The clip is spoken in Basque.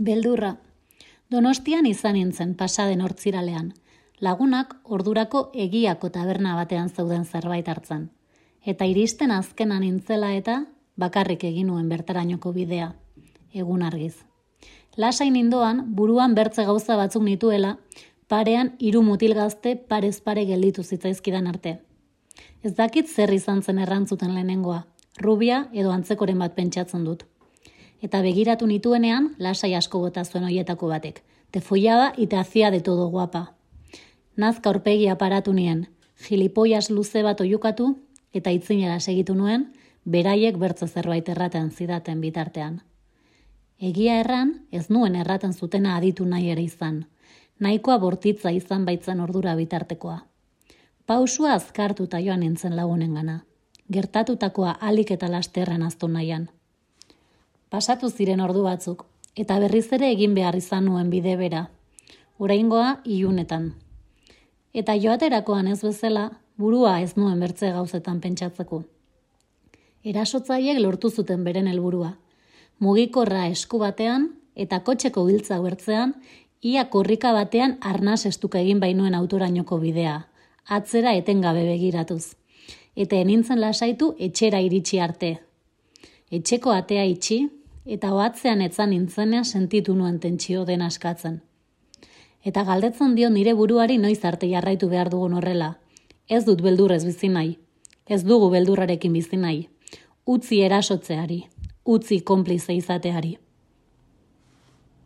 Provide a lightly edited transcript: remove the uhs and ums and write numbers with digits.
Beldurra. Donostian izan nintzen pasaden hortziralean. Lagunak ordurako Egiako taberna batean zeuden zerbait hartzen. Eta iristen azkena nintzela eta bakarrik egin nuen bertarainoko bidea. Egun argiz. Lasai nindoan, buruan bertze gauza batzuk nituela, parean 3 mutil gazte parez pare gelditu zitzaizkidan arte. Ez dakit zer izan zen errantzuten lehenengoa, rubia edo antzekoren bat pentsatzen dut. Eta begiratu nituenean, lasai asko bota zuen hoietako batek. Te follaba y te hacía de todo guapa. Nazka aurpegia paratu nien, gilipoias luze bat oiukatu, eta itzinera segitu nuen, beraiek bertze zerbait erraten zidaten bitartean. Egia erran, ez nuen erraten zutena aditu nahi ere izan. Nahikoa bortitza izan baitzen ordura bitartekoa. Pausua azkartuta joan nintzen lagunengana. Gertatutakoa alik eta lasterren aztu nahian. Pasatu ziren ordu batzuk, eta berriz ere egin behar izan nuen bide bera. Oraingoa ilunetan. Eta joaterakoan ez bezala, burua ez nuen bertze gauzetan pentsatzeko. Erasotzaiek lortu zuten beren helburua. Mugikorra esku batean eta kotxeko giltza bertzean, ia korrika batean arnas estuka egin bainuen autorainoko bidea, atzera etengabe begiratuz. Eta enintzen lasaitu etxera iritsi arte. Etxeko atea itxi, eta ohatzean etzan nintzenean sentitu nuen tentsio den askatzen. Eta galdetzen dio nire buruari noiz arte jarraitu behar dugun horrela. Ez dut beldurrez bizi nahi. Ez dugu beldurrarekin bizi nahi. Utzi erasotzeari. Utzi konplize izateari.